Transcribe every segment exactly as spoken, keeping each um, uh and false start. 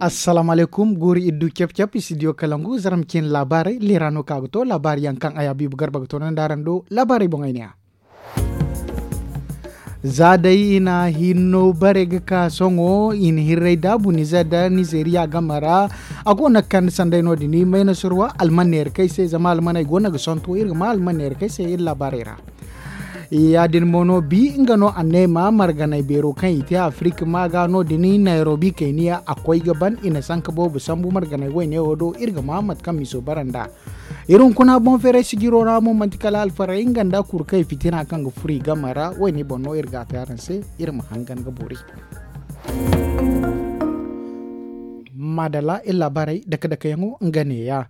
Assalaamu alaykum. Guuri iddu cap cap i si diyo kalangu zarma cin laabaarey leera no ka ga to laabaari yaŋ kaŋ a ya biibu garba ga to nanda araŋ do laabaarey boŋ ay ne ya. Za day i na hinno bare ga ka sohõ i na hirray daabu nizer da nizeriya game ra. A go no ga kande sanday no- din mayna surwa alman neera kaŋ ay se zama almaney go no ga sonto iri ga ma alman neera kaŋ ay se iri laabaarey ra. Ya- din mo no bi nga no a ne ma marganay beero kaŋ i te afirik ma ga no- din nairobi kayniya a koy ga ban i na sanka boobo sambu marganay wayne wo do iri ga ma mate kaŋ miso bara nd'a. Iri hunkuna boŋ feeray sijiro ra mo manti kala alfaray nga nda kuru kaŋ i fitina kaŋ ga furo i game ra wayne boŋ no iri ga a te araŋ se. Iri ma hangan ga boori. Maadalla iri laabaarey dake dake yaŋo nga neeya.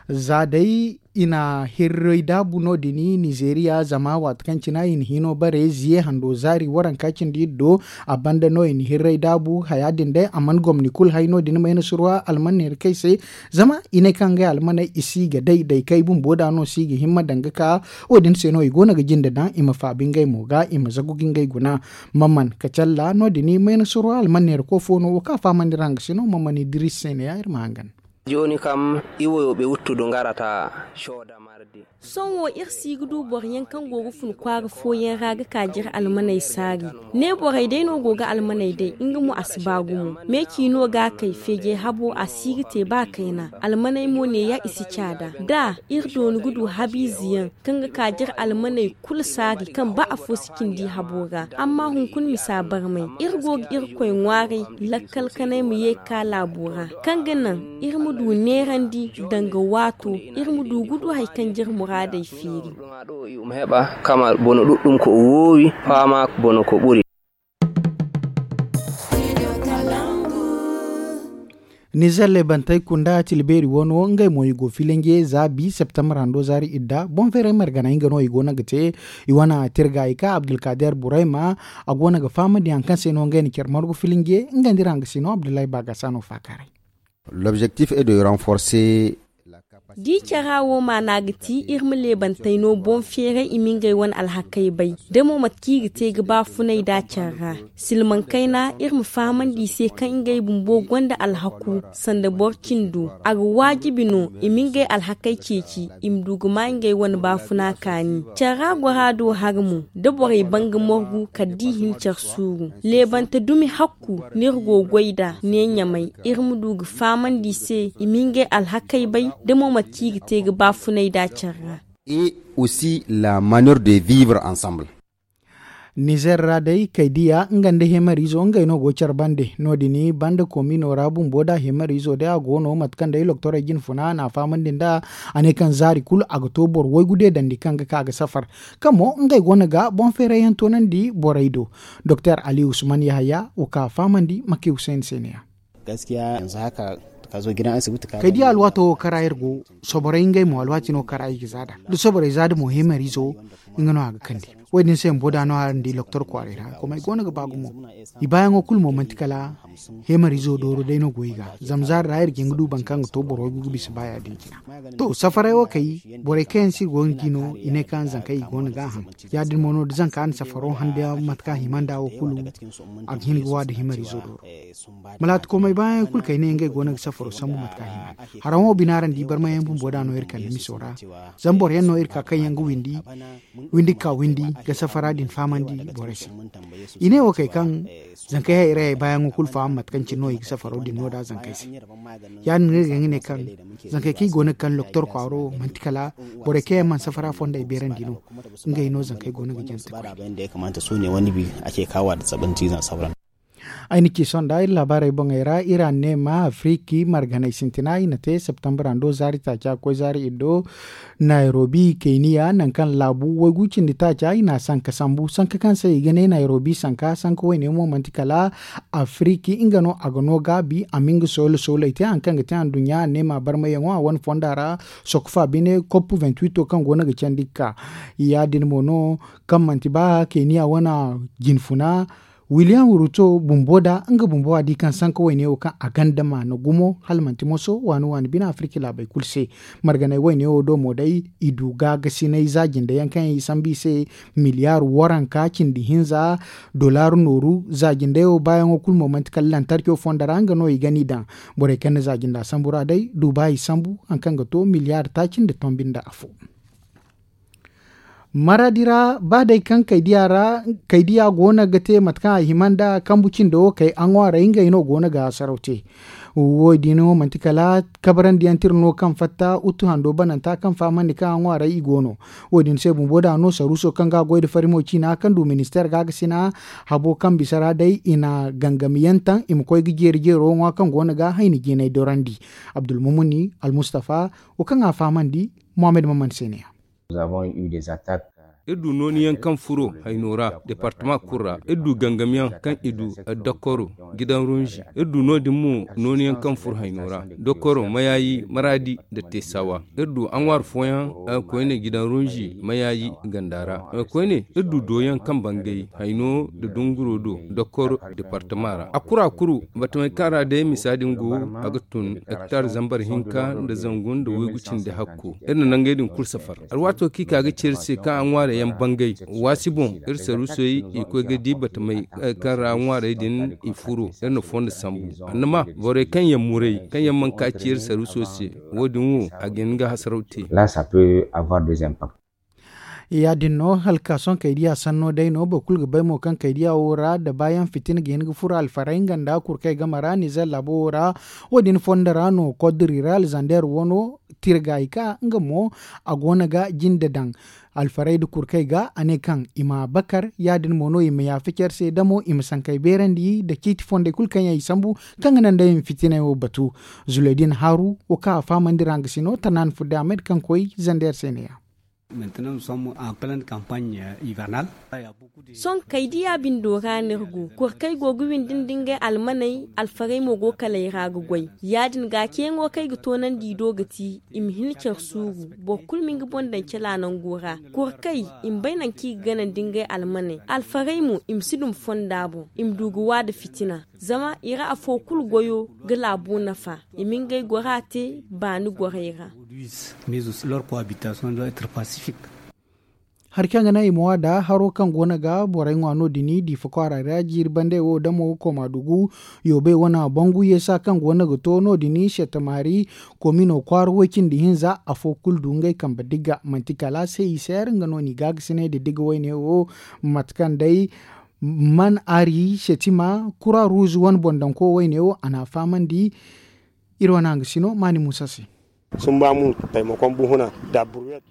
Za day i na hirray daabu no- din nizeeriya zama waati kaŋ cine i na hino bare ziye hando zaari waranka cindi iri do. A banda no i na hirray daabu haya din day a mana gomni kulu hay no- din mayna surwa almaney ra kaŋ ay se. Zama i ne kaŋ ngey almaney i si ga day day kaŋ ay bumbo da no si ga himma daŋ ga ka wo- din se no i go no ga jinde daŋ i ma faabi ngey mo ga i ma zagu ga ngey guna. Maman kacalla no- din mayna surwa almaney ra ko fo no wo kaŋ a fahamandi ra nga se no maman idris se ne ya iri ma hangan. Jooni kam i woyo ɓe wuttudu ngarata cooda mardi. Sohõ wo iri si ga du boro yaŋ kaŋ go ga fun kwaara fooyaŋ ra ga ka jire almaney saari. Ne borey day no go ga almaney day nga mo a si ba gumo. Meeci no ga a kay feejey habo a si ga te ba kayna almaney mo neeya i si caada da iri dooni ga du habiize yaŋ kaŋ ga ka jire almaney kulu saari kaŋ ba afo si cindi habo ra. Amma hunkuna misa barmay iri go ga irkoy ŋwaaray lakkal kanay ma ye ga ka laabo ra kaŋ ga naŋ iri ma du neerandi danga waato iri ma du ga du hari kaŋ jire muraadey feeri. Ɗum heɓa kama bono ɗuɗɗum ko o woowi faama bono ko ɓuri. Nizer lebantey kunda tilbeeri wano ngey mo i go filinge za bi septembre hando zaari idda boŋ feeray margana nga no i go no ga te. I wana tirga i ka abdulkader burayma a go no ga fahamandi hari kaŋ se no ngey na care margu filinge nga nda iri hanga se no abdullahi baagasa no faakaaray. L'objectif est de renforcer. Da i care wo maana ga ti iri ma leebantey no boŋ feeray i ma ngey wane alhakey bay da mo mate kaŋ i ga te ga baafunay nd'a care ra. Silmaŋ kayna iri ma fahamandi i se kaŋ ngey bumbo gonda alhaku sanda boro cindo a ga waajibi no i ma ngey alhakey ceeci i ma du ga ma ngey wane baafuna kaani. Care ra gora do hari mo da borey ban ga morgu kala da i hin care suuru leebante dumi hakku no iri go ga goy nd'a ne ɲamay iri ma du ga fahamandi i se i ma ngey alhakey bay da mo mate kaŋ i ga te ga baafunay nd'a care ra. Et aussi la manière de vivre ensemble. Nizer ra day kay diya nga nda hemariizo ngey no go care bande no- din banda koomino ra bumbo da hemariizo day a go no mate kaŋ day loktorey jine funa na a fahamandi nd'a. A ne kaŋ zaari kulu a ga to boro waygu deedandi kaŋ ga ka ga safar kaŋ mo ngey go no ga boŋ feeray yaŋ toonandi borey do. Doktor ali usman yahaya wo ka fahamandi maki huseyn se ne ya. Kay di alwaato wo kara iri go soborey ngey mo alwaati no kara i ga zaada da soborey zaada mo hemariizo nga no a ga kande. Wo- din se bumbo da no araŋ di loktor kwaaray ra komey go no ga ba gumo. I baayaŋo kulu mo manti kala hemariizo dooro day no go i ga zama zaari ra iri ga hin ga du boro kaŋ ga to boro waygu ga bisa ba ya- din cina. To safaray wo kay borey kaŋ yaŋ se iri go ga di no i ne kaŋ zankey i go no ga a haŋ. Ya- din mo no da zanka na safaro hande mate kaŋ a hima nd'a wo kulu a ga hin ga wa nda hemariizo dooro. Malaati komey baayaŋ kulu kay ne ngey go no ga safaro sambu mate kaŋ a hima. Haraŋo bina araŋ di barmayaŋ bumbo da no iri kande miso ra. Zama boro yaŋ no iri ka kaŋ yaŋ ga windi windi ga ka windi ga safara din fahamandi borey se. I ne wo kay kaŋ zankey hayray baayaŋo kulu faham mate kaŋ cine no i ga safaro din no da zankey se. Ya- din no iri ga hin ga ne kaŋ zankey kaŋ i go no ga kande loktor kwaaro manti kala borey kaŋ yaŋ mana safara fondey beerandi no. Ngey no zankey go no ga jante koy. Ay na ci sohõ nda iri laabaarey boŋey ra iri a ne ma afiriki marganey sintina i na te septembre hando zaari taaca ga koy zaari iddo. Nairobi kayniya nangu kaŋ laabu waygu cindi taaca i na a sanka sambu sanka kaŋ se i ga ne nairobi sanka sanka wayne mo manti kala afiriki nga no a ga no gaabi a ma nga soola sooley te hari kaŋ ga te anduɲɲa a ne ma barmayaŋo a wane fonda ra. Sokofa bine kopp vingt-huit kaŋ go no ga candi ga ka ya- din mo no kaŋ manti ba kayniya wane jinfuna. Wiliyam Ruto bumbo da nga bumbo a di kaŋ sanka wayne wo kaŋ a ganda maana gumo hala manti moso waani waani bine afirki laabey kulu se. Marganey wayne wo do mo day i du gaagasinay za jinde yaŋ kaŋ yaŋ i sambu i se miliyaar waranka cindi hinza dollar nooru za jinde wo baayaŋo kulu mo manti kala lantarco fondo ra nga no i ga ni daŋ. Borey kaŋ na za jinda sambu ra day du ba i sambu hari kaŋ ga to miliyaar taaci nda tombi nda afo. Maraadi ra ba day kaŋ kaydiya ra kaydiya go no ga te mate kaŋ a hima nda kambu cindo wo kay a ŋwaaray ngey no go no ga hasaraw te. Wo- din wo manti kala kabarandiyaŋ tira no kaŋ fatta uttu hando bananta kaŋ fahamandi kaŋ a ŋwaaray i go no. Wo- din se bumbo da no saruuso kaŋ ga a goy nda farimo ciina kaŋ du ministeer ga ga sina habo kaŋ bisa ra day i na gangamiyaŋ taŋ i ma koy ga jeeri jeero ŋwa kaŋ go no ga hayni jinay dorandi. Abdulmumuni almustafa wo kaŋ a fahamandi muhammad maman se ne ya. Iri du nooniyaŋ kaŋ furo hayno ra departama kulu ra. Iri du gangamyaŋ kaŋ i du dokkoro gidan runzi. Iri du no- din mo nooniyaŋ kaŋ furo hayno ra dokkoro mayayi maraadi nda teesawa. Iri du aŋwaari fooyaŋ koyne gidan runzi mayayi ganda ra. Koyne iri du doyaŋ kaŋ bangay hayno nda dunguro do dokkoro departama ra a kuru a kuru batamey kaŋ ra day misa din go a ga tun hektar zambar hinka nda zangu nda waygu cindi hakko. Iri na nangey din kulu safar alwaato kaŋ i ka ga ceeri se kaŋ a ŋwaarey yaŋ bangay waasi boŋ. Iri saruusey i koy ga di batamey kaŋ ra ŋwaarey din i furo iri na fondo sambu annama borey kaŋ yaŋ muray kaŋ yaŋ mana ka ci iri saruuso se. Wo- din wo a ga hin ga hasaraw te. Ya- din no hala ka sohõ kaydiya sanno day no boro kulu ga bay mo kaŋ kaydiya wo ra da baayaŋ fitina ga hin ga furo alfaray nga nda kurkey game ra nizer laabo wo ra. Wo- din fondo ra no kodri ra alzander wano tirga i ka nga mo a go no ga jinde daŋ alfaray nda kurkey ga a ne kaŋ i ma bakar ya- din mo no i ma yaafa care se damo i ma sankey beerandi nda ciiti fondey kulu kaŋ yaŋ i sambu kaŋ ga naŋ day i ma fitiney wo batu. Zuleydin haaru wo kaŋ a fahamandi ra nga si no tanaan fudde ahmed kaŋ koy zander se ne- ya. Sohõ kaydiya bindo ra no iri go kurkey go ga windi nda ngey almaney alfarey mo go kala ay ra ga goy. Ya- din ga ceeyaŋo kaŋ ay ga toonandi i do ga ti i ma hin care suuru boro kulu ma nga boŋ daŋ cala nango ra. Kurkey i ma bay nangu kaŋ i ga gana nda ngey almaney alfarey mo i ma si duma fonda boŋ i ma du ga wa nda fitina. Zama i ra afo kulu goyo ga laabo nafa i ma ngey gora te baani gorey ra. Hari kaŋ ga naŋ i ma wa da haro kaŋ go no ga borey ŋwa no- din diifa kwaara ra jiiri bande wo damo kooma dugu yoobey wane bangu yeesa kaŋ go no ga to no- din settamaari komino kwaara way- cindi hinza afo kulu du ngey kambe digga manti kala se i seer nga no n'i gaagasinay nda digga wayne wo. Mate kaŋ day man ari setima kura ruuzu wane boŋ daŋ ko wayne wo a n'a fahamandi. Iri wane hangasino maani muusa se.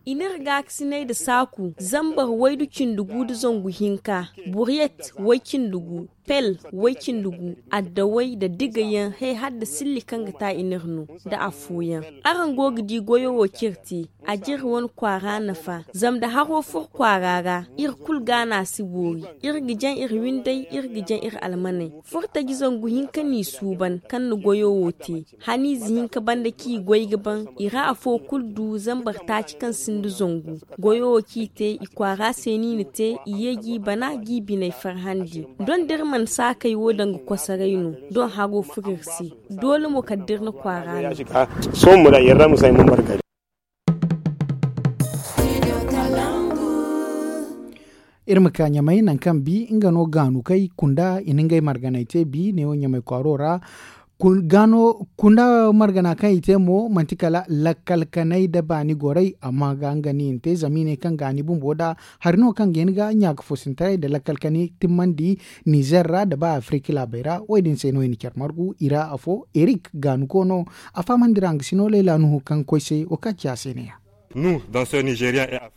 I n'iri gaakasinay nda saaku zambar waydu cindi gu nda zangu hinka buriyet way- cindi gu pel way- cindi gu addaway nda digayaŋ hay hala nda silli kaŋ ga ta i n'iri no nda afooyaŋ. Araŋ go ga di goyo wo kaŋ iri te a ga iri wane kwaara nafa zama nda haro furo kwaara ra iri kulu ga no a si boori. Iri ga jaŋ iri windey iri ga jaŋ iri almaney. Furtaji zangu hinka n'i suuban kaŋ na goyo wo te. Haniize hinka banda kaŋ i goy ga ban i ra afo kulu du zambar taaci kaŋ sinda zangu. Goyo wo kaŋ i te i kwaara se no i na te i ye g'i bana g'i biney farhandi. Doŋ da iri mana saakey wo daŋ ga kosoray no doŋ haro furo iri se. Doole mo kala da iri na kwaara no. Iri ma ka ɲamay nangu kaŋ bi nga no gaanu kay kunda i na ngey marganay te bi neewo ɲamay kwaaro ra. Kunda margana kaŋ i te mo manti kala lakkal kanay nda baani goray amma ga nga no i na te zama i ne kaŋ gaani bumbo nda hari no kaŋ ga hin ga ɲaaka foosintaray nda lakkal kanay timmandi nizer ra nda ba afirika laabey ra wo- din se no i na care margu i ra afo erik gaanu koono. A fahamandi ra nga si no layla nuhu kaŋ koy se wo kaŋ ci a se ne ya.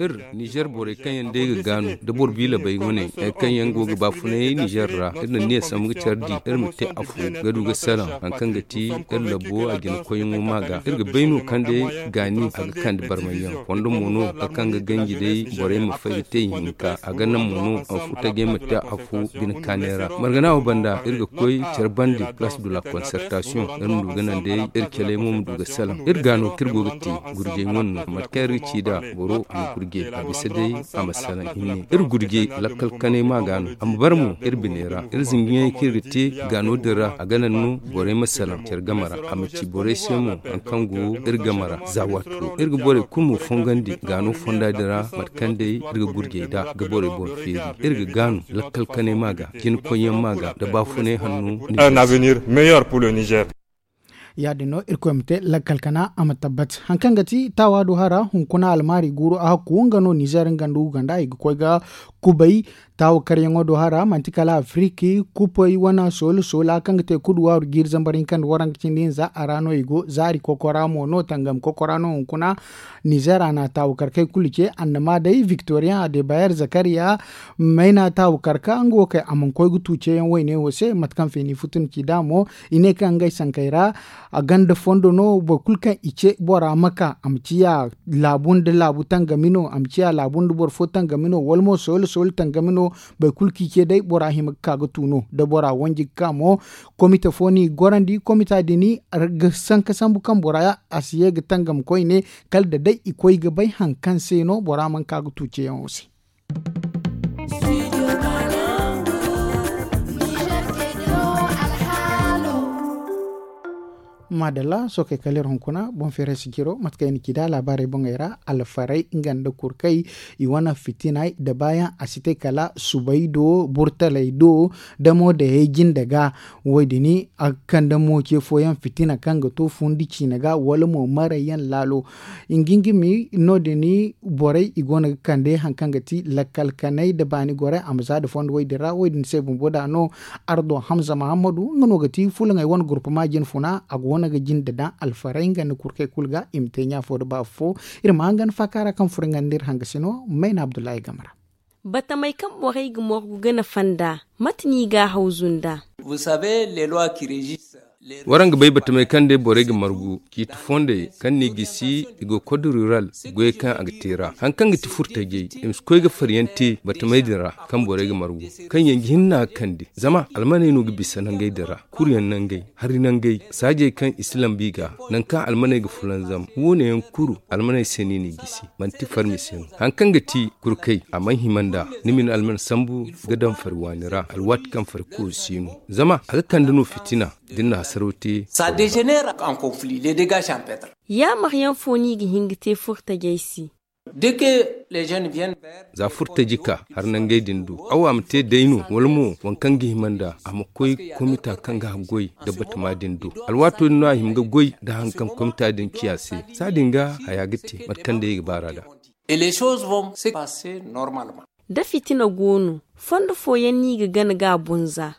Iri nizer borey kaŋ yaŋ day ga gaanu nda boro biila bay wane kaŋ yaŋ go ga baafunay nizer ra iri na niya sambu ga care di iri ma te afo ga du ga salaŋ hari kaŋ ga ti iri labbo a jina koyyaŋo ma ga iri ga bay no kaŋ day gaani a ga kande barmayyaŋ fondo mo no hari kaŋ ga ganji day borey ma fay ga te ihinka a ga naŋ mo no afo tajey ma te afo bine kaanay ra margana wo banda iri ga koy care bande place de la concertation iri ma du ga naŋ day iri caley mo ma du ga salaŋ iri gaano kaŋ iri go ga te gurjey wane no mate kaŋ Iri ga ci da boro a ma gurje a bisa day a ma salaŋ hinne. Iri gurje lakkal kanay ma ga no a ma bara mo iri biney ra. Iri zinjiŋey kaŋ iri ga te gaano din ra a ga naŋ no borey ma salaŋ care game ra a ma ci borey se mo hari kaŋ go iri game ra za waato. Iri ga borey kulu mo fongandi gaano fonda din ra mate kaŋ day iri ga gurjey nd'a ga borey boŋ feeri. Iri ga gaanu lakkal kanay ma ga jina koyyaŋ ma ga nda baafunay hanno. Un avenir meilleur pour le niger. Ya- din no irkoy ma te lakkal kana a ma tabbat hari kaŋ ga ti taawa do hara hunkuna almaari guuru a hakku nga no nizer nga nda uganda i ga koy ga kubay. Taawa karyaŋo do hara manti kala afiriki kupay wane soole soole hari kaŋ ga te kudu waaru jiiri zambar hinka nda waranka cindi hinza a ra no i go zaari kokora mo no tangam kokora no hunkuna. Nizer a na taawa karkey kulu ce annama day victorian adebayer zakariya mayna taawa karka nga wo kay a mana koy ga tu ceyaŋ wayne wo se mate kaŋ feeni futu ni ci da mo. I ne kaŋ ngey sankey ra a ganda fondo no boro kulu kaŋ i ce bora ma ka a ma ciya laabu nda laabu tangami no a ma ciya laabu nda boro fo tangami no wala mo soyla soyla tangami no. Boro kulu kaŋ i ce day bora hima ga ka ga tu no da bora wanji ga ka mo. Komite fo no i ga gorandi komita din ga sanka sambu kaŋ bora a si ye ga tangam koyne kala da day i koy ga bay hari kaŋ se no bora mana ka ga tu ceyaŋo se. Maadalla sookey kala iri hunkuna boŋ feeray sijiro mate kaŋ i na ci nd'a laabaarey boŋey ra alfarey nga nda kurkey i wane fitinay da baayaŋ a si te kala subay do burtaley do. Damo dayey jinde ga wo- din a ga kande mo ce fooyaŋ fitina kaŋ ga to fundi ciine ga wala mo marayyaŋ laalo. Ngingimi no- din borey i go no ga kande hari kaŋ ga ti lakkal kanay nda baani gorey a ma za nda fondo wo- din ra wo- din se bumbo da no. Ardo hamza mahammadu nga no ga ti fulaŋey wane gurpama jine funa a go no ga jinde daŋ alfarey nga nda kurkey kulu ga i ma te ɲaafo nda baafu fo. Iri ma hangan faaka ra kaŋ furo nga nda iri hangasi no mayna abdullahi game ra. Batamey kaŋ borey ga morgu gana fanda mate no i ga a hawzu nd'a? Waraŋ ga bay batamey kaŋ day borey ga margu ciiti fondey kaŋ no i gisi i go kod rural goyey kaŋ a ga te ra hari kaŋ ga ti furtajey i ma si koy ga faryaŋ te batamey din ra. Kaŋ borey ga margu kaŋ yaŋ ga hinna ga kande zama almaney no ga bisa nangey din ra. Kuryaŋ nangey hari nangey saajey kaŋ i si lambu i ga nangu kaŋ almaney ga fulanzam wo- ne yaŋ kuru almaney se no i n'i gisi. Manti farmi se no hari kaŋ ga ti kurkey a mana hima nd'a. Ni ma ni alman sambu ga daŋ fari waani ra alwaati kaŋ fari kooru si no zama a ga kande no fitina. Da ni na hasaraw te. Yaamar yaŋ fo no i ga hin ga te furtajey se? Za furtaji ka har nangey din do awa ma te day no wala mo waŋ kaŋ ga hima nd'a a ma koy komita kaŋ ga haggoy nda batama din do. Alwaato din no a hima ga goy nda haŋ kaŋ komita din ciya se. Saadin ga haya ga te mate kaŋ day i ga baar'a nd'a. Da fitina go no fondo fooyaŋ no i ga gana ga a boŋ za?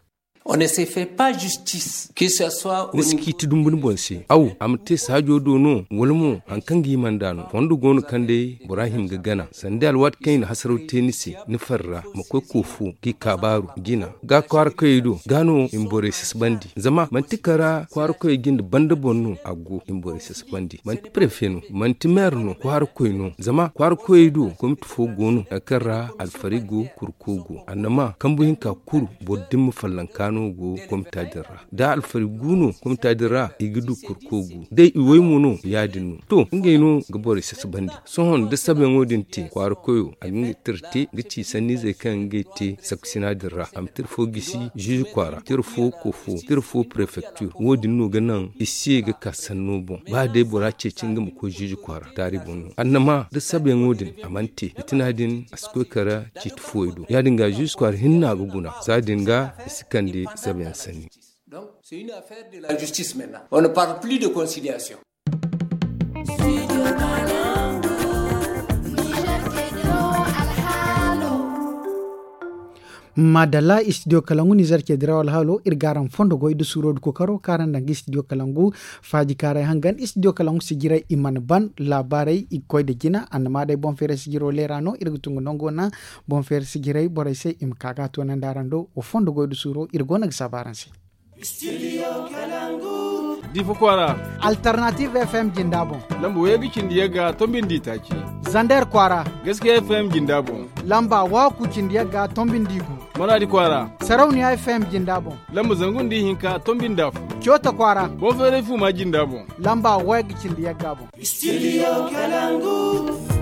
Ni si ciiti dumbu ni boŋ se aw a ma te saajo do no wala mo hari kaŋ ga hima nd'a no fondo go no kaŋ day bora hima ga gana sanda alwaati kaŋ i na hasaraw te ni se ni farra ma koy koofo ga i kaabaaru jina ga kwaara koyey do ga no i ma borey sasabandi zama manti kara kwaara koyey jinde banda boŋ no a go i ma borey sasabandi manti prefe no manti meer no kwaara koy no zama kwaara koyey do komiti fo go no hari kaŋ ra alfari go kurko go annama kambu hinka kuru boro dimma fallanka no go komita din ra da alfari gu no komita din ra i ga du kurko gu day i way mo no ya- din no to ngey no ga borey sasabandi sohõ da sabayaŋo din te kwaara koyo a ga nga tira te ga ci sanniizey kaŋ ngey te saksina din ra a ma tira fo gisi ziizi kwaara tira fo koofo tira fo prefektir wo- din no ga naŋ i si ye ga ka sanno boŋ ba day bora ceeci nga ma koy ziizi kwaara taari boŋ no annama da sabayaŋo din a mana te fitina din a si koy kara ciiti fooyaŋ do ya- din ga ziizi kwaara hinna ga guna za- din ga i si kande sabayaŋ sanni. Maadalla istidiyo kalangu nizer cediraw alhaalo iri ga araŋ fondo goy da suuro da kookaro kaŋ araŋ daŋ ga istidiyo kalangu faaji kaaray hangan istidiyo kalangu sijirey i mana ban laabaarey i ga koy nda jina annama day boŋ feeray sijiro leera no iri ga tungu nango naŋ boŋ feeray sijirey borey se i ma ka ga a toonandi araŋ do wa fondo goy da suuro iri go no ga saabu araŋ se. Diifa kwaara. Alternative fm jinda boŋ. Lamba wayagga cindi yagga tombindi taaci. Zander kwaara. Gaskiya fm jinda boŋ. Lamba waaku cindi yagga tombindi gu. Manaadi kwaara. Sarauniya F M jinda boŋ. Lamba zangu nda ihinka tombi nda afo. Coota kwaara. Boŋ feeray fuuma jinda boŋ. Lamba wayga cindi yagga boŋ. Studio Kalangu.